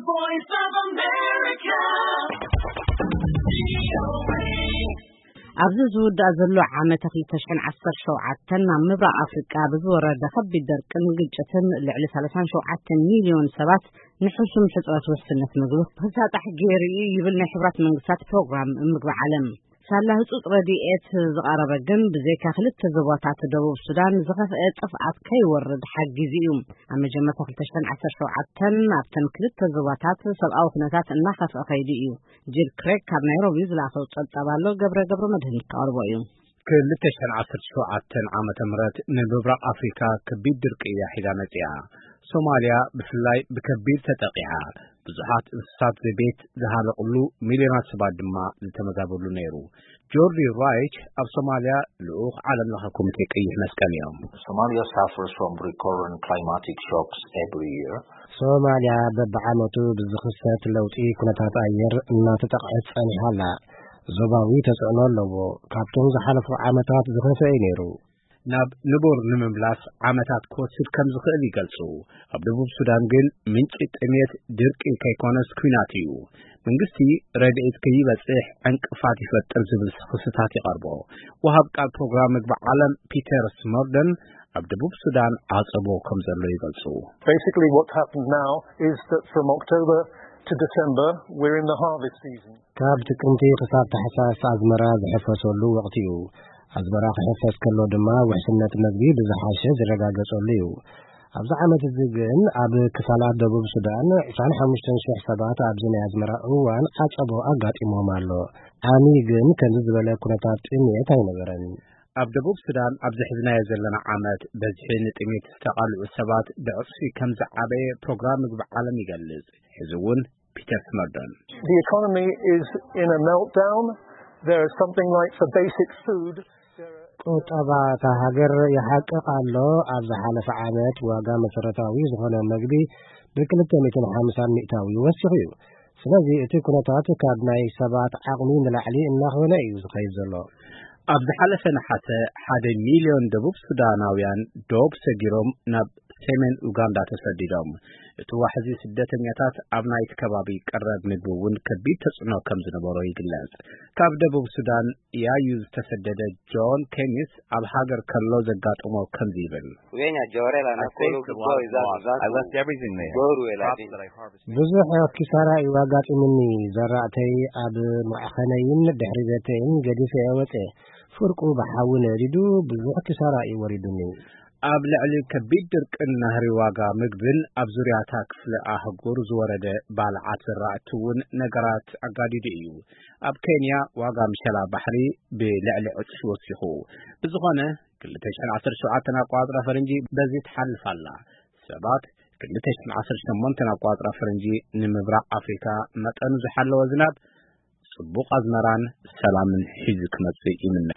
Voice of America. ኣብዚ ዝውዳእ ዘሎ ዓመተ ክልተ ሽሕን ዓሰርተ ሸውዓተን ናብ ምብራቕ ኣፍሪቃ ብዝወረደ ከቢድ ደርቅን ግጭትን ልዕሊ ሰላሳን ሸውዓተን ሚልዮን ሰባት ንሕሱም ሕጽረት ውሕስነት ምግቢ ክሳጣሕ ገይሩ እዩ ይብል ናይ ሕቡራት መንግስታት ፕሮግራም ምግቢ ዓለም። ሳላ ህጹጽ ረድኤት ዝቐረበ ግን ብዘይካ ክልተ ዞባታት ደቡብ ሱዳን ዝኸፍአ ጥፍኣት ከይወርድ ሓጊዙ እዩ። ኣብ መጀመርታ ክልተ ሽሕን ዓሰርተ ሸውዓተን ኣብተን ክልተ ዞባታት ሰብኣዊ ኩነታት እናኸፍአ ከይዱ እዩ። ጂል ክሬግ ካብ ናይሮቢ ዝለኣኸው ጸብጻብ ኣሎ፣ ገብረ ገብረ መድህን ክቐርቦ እዩ። ክልተ ሽሕን ዓሰርተ ሸውዓተን ዓመተ ምህረት ንምብራቕ ኣፍሪካ ከቢድ ድርቂ እያ ሒዛ መጺኣ። ሶማልያ ብፍላይ ብከቢድ ተጠቂዓ። ብዙሓት እንስሳት ዘቤት ዝሃለቕሉ፣ ሚልዮናት ሰባት ድማ ዝተመዛበሉ ነይሩ። ጆርዲ ራይች ኣብ ሶማልያ ልኡኽ ዓለም ለኸ ኮሚቴ ቀይሕ መስቀል እዮም። Somalia suffers from recurrent climatic shocks every year. ሶማልያ በብዓመቱ ብዝኽሰት ለውጢ ኩነታት ኣየር እናተጠቕዐት ጸኒሓ ኣላ። ዞባዊ ተጽዕኖ ኣለዎ። ካብቶም ዝሓለፉ ዓመታት ዝኸፍአ እዩ ነይሩ። ናብ ንቡር ንምምላስ ዓመታት ክወስድ ከም ዝኽእል ይገልጹ። ኣብ ደቡብ ሱዳን ግን ምንጪ ጥሜት ድርቂ ከይኮነስ ኲናት እዩ። መንግስቲ ረድኤት ከይበጽሕ ዕንቅፋት ይፈጥር ዝብል ክስታት ይቐርቦ። ወሃብ ቃል ፕሮግራም ምግቢ ዓለም ፒተር ስሞርደን ኣብ ደቡብ ሱዳን ዓጸቦ ከም ዘሎ ይገልጹ። Basically, what's happened now is that from October to December, we're in the harvest season. ካብ ጥቅምቲ ክሳብ ታሕሳስ ኣዝመራ ዝሕፈሰሉ ወቕቲ እዩ። ኣዝመራ ክሕፈስ ከሎ ድማ ውሕስነት መግቢ ብዝሓሸ ዝረጋገጸሉ እዩ። ኣብዚ ዓመት እዚ ግን ኣብ ክፋላት ደቡብ ሱዳን ዕስራን ሓሙሽተን ሽሕ ሰባት ኣብዚ ናይ ኣዝመራ እዋን ዓጸቦ ኣጋጢሞም ኣሎ። ዓሚ ግን ከምዚ ዝበለ ኩነታት ጥሜት ኣይነበረን። ኣብ ደቡብ ሱዳን ኣብዚ ሕዝናዮ ዘለና ዓመት በዝሒ ንጥሜት ዝተቓልዑ ሰባት ብዕጽፊ ከም ዝዓበየ ፕሮግራም ምግቢ ዓለም ይገልጽ። ሕዚ እውን ፒተር ስመርዶን። The economy is in a meltdown. There is something like for basic food. ቁጠባ እታ ሃገር ይሓቅቕ ኣሎ። ኣብ ዝሓለፈ ዓመት ዋጋ መሰረታዊ ዝኾነ መግቢ ብክልተ ሚእትን ሓምሳን ሚእታዊ ወሲኹ እዩ። ስለዚ እቲ ኩነታት ካብ ናይ ሰባት ዓቕሚ ንላዕሊ እናኾነ እዩ ዝኸይድ ዘሎ። ኣብ ዝሓለፈ ነሓሰ ሓደ ሚልዮን ደቡብ ሱዳናውያን ዶብ ሰጊሮም ናብ ሰሜን ኡጋንዳ ተሰዲዶም። እቲ ዋሕዚ ስደተኛታት ኣብ ናይቲ ከባቢ ቀረብ ምግቢ እውን ከቢድ ተጽዕኖ ከም ዝነበሮ ይግለጽ። ካብ ደቡብ ሱዳን ያዩ ዝተሰደደ ጆን ኬሚስ ኣብ ሃገር ከሎ ዘጋጠሞ ከምዚ ይብል። Wenya jorela na kolo. I left everything there. Goru ela. Crops that I harvested. ብዙሕ ኪሳራ እዩ ኣጋጢሙኒ። ዘራእተይ ኣብ ማዕኸነይን ድሕሪ ቤተይን ገዲፈ እየ ወፅየ። ፍርቁ ብሓዊ ነዲዱ ብዙሕ ኪሳራ እዩ ወሪዱኒ። ኣብ ልዕሊ ከቢድ ድርቅን ናህሪ ዋጋ ምግብን ኣብ ዙርያታ ክፍለ ኣህጉር ዝወረደ ባልዓት ዘራእቲ እውን ነገራት ኣጋዲዱ እዩ። ኣብ ኬንያ ዋጋ ምሸላ ባሕሪ ብልዕሊ ዕጽፊ ወሲኹ። ብዝኾነ ክልተ ሽሕን ዓሰርተ ሸውዓተን ኣቋጽራ ፈረንጂ በዚ ትሓልፍ ኣላ። ሰባት ክልተ ሽሕን ዓሰርተ ሸሞንተን ኣቋጽራ ፈረንጂ ንምብራቕ ኣፍሪካ መጠኑ ዝሓለወ ዝናብ፣ ጽቡቕ ኣዝመራን ሰላምን ሒዙ ክመጽእ ይምነ።